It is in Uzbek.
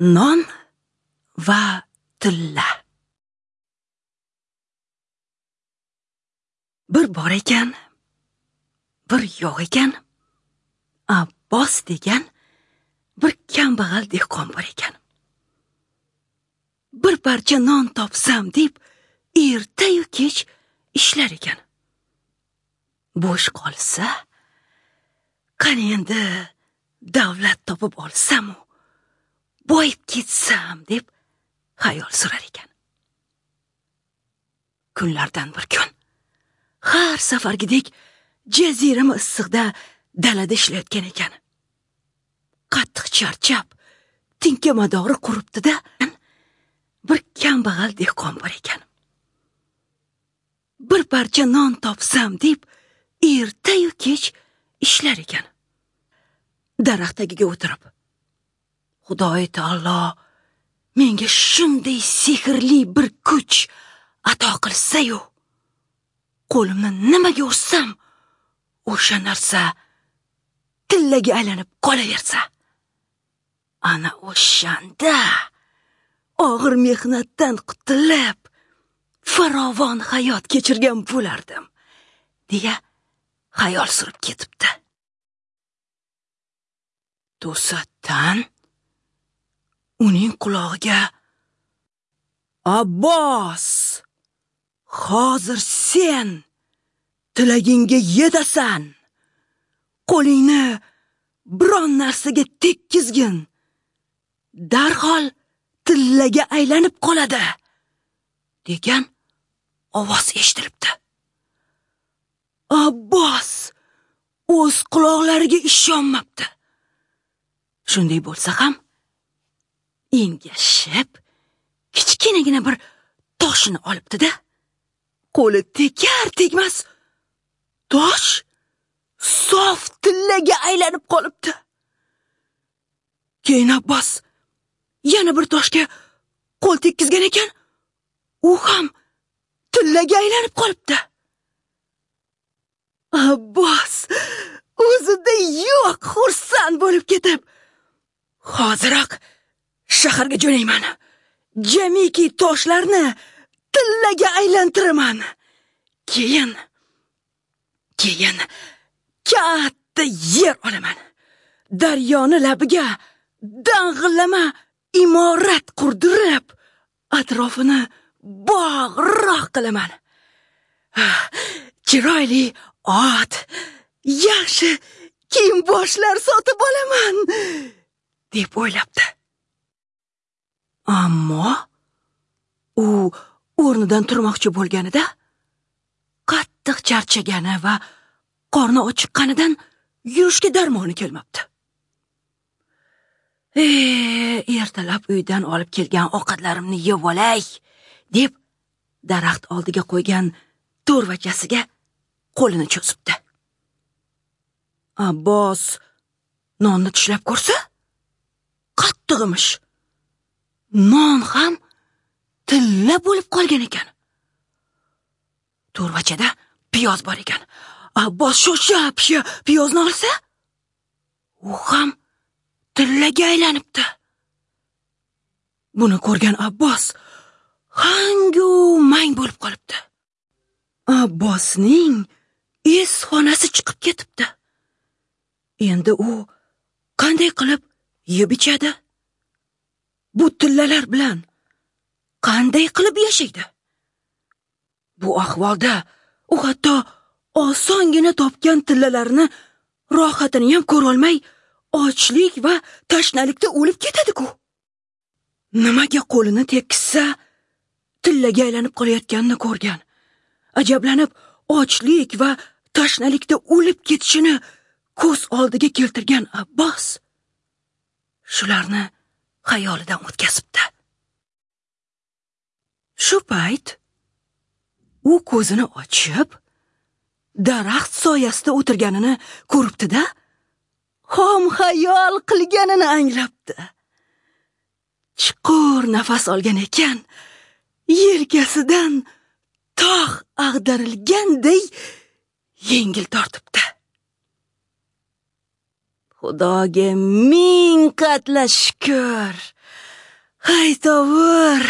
Non va tilla. Bir bor ekan, bir yo'q ekan, Abbos degan bir kambag'al dehqon bor ekan. Bir parcha non topsam deb erta-yu kech ishlar ekan. Bo'sh qolsa, qani endi davlat topib olsam-u, boyib ketsam deb xayol surar ekan. Kunlardan bir kun har safargidek jazirama issiqda dalada ishlayotgan ekan. Qattiq charchab, tinka madori quribdi-da, bir kambag'al dehqon bor ekan. Bir parcha non topsam deb erta-yu kech ishlar ekan. Daraxt tagiga o'tirib, Xudoy taolo menga shunday sehrli bir kuch ato qilsa-yu, qo'limni nimaga ursam, o'sha narsa tillaga aylanib qolaversa, ana o'shanda og'ir mehnatdan qutulib, farovon hayot kechirgan bo'lardim, deya xayol surib ketibdi. To'satdan uning qulog'iga, Abbos, hozir sen tilagingga yetasan. Qo'lingni biron narsaga tekkizgin, darhol tillaga aylanib qoladi, degan ovoz eshitilibdi. Abbos o'z quloqlariga ishonmabdi. Shunday bo'lsa ham engashib kichkinagina bir toshini olibdi-da, qo'li tekar tegmas tosh sof tillaga aylanib qolibdi. Keyin Abbos yana bir toshga qo'l tekkizgan ekan, u ham tillaga aylanib qolibdi. Abbos o'zida yo'q xursand bo'lib ketib, hoziroq shaharga jo'nayman, jamiki toshlarni tillaga aylantiraman, keyin katta yer olaman, daryoni labiga dang'illama imorat qurdirib, atrofini bog'roq qilaman, chiroyli ot, yaxshi kiyim-boshlar sotib olaman, deb o'ylabdi. Ammo u o'rnidan turmoqchi bo'lganida qattiq charchagani va qorni ochiqqanidan yurishga darmoni kelmabdi. Ertalab uydan olib kelgan ovqatlarimni yeb olay, deb daraxt oldiga qo'ygan to'rvachasiga qo'lini cho'zibdi. Abbos nonni tishlab ko'rsa, qattiq emish. Non ham tilla bo'lib qolgan ekan. To'rvachada piyoz bor ekan. Abbos shosha-pisha piyozni olsa, u ham tillaga aylanibdi. Buni ko'rgan Abbos hangu mang bo'lib qolibdi. Abbosning es xonasi chiqib ketibdi. Endi u qanday qilib yeb ichadi? Bu tillalar bilan qanday qilib yashaydi? Bu ahvolda u hatto osongina topgan tillalarini rohatini ham ko'ra olmay, ochlik va tashnalikda o'lib ketadi-ku. Nimaga qo'lini tekkizsa, tillaga aylanib qolayotganini ko'rgan. Ajablanib, ochlik va tashnalikda o'lib ketishini ko'z oldiga keltirgan Abbos shularni xayolidan o'tkazibdi. Shu payt u ko'zini ochib, daraxt soyasida o'tirganini ko'ribdi-da, xom xayol qilganini anglabdi. Chuqur nafas olgan ekan, yelkasidan tog' ag'darilganday yengil tortibdi. Xudoga ming qatla shukr. Haytovur.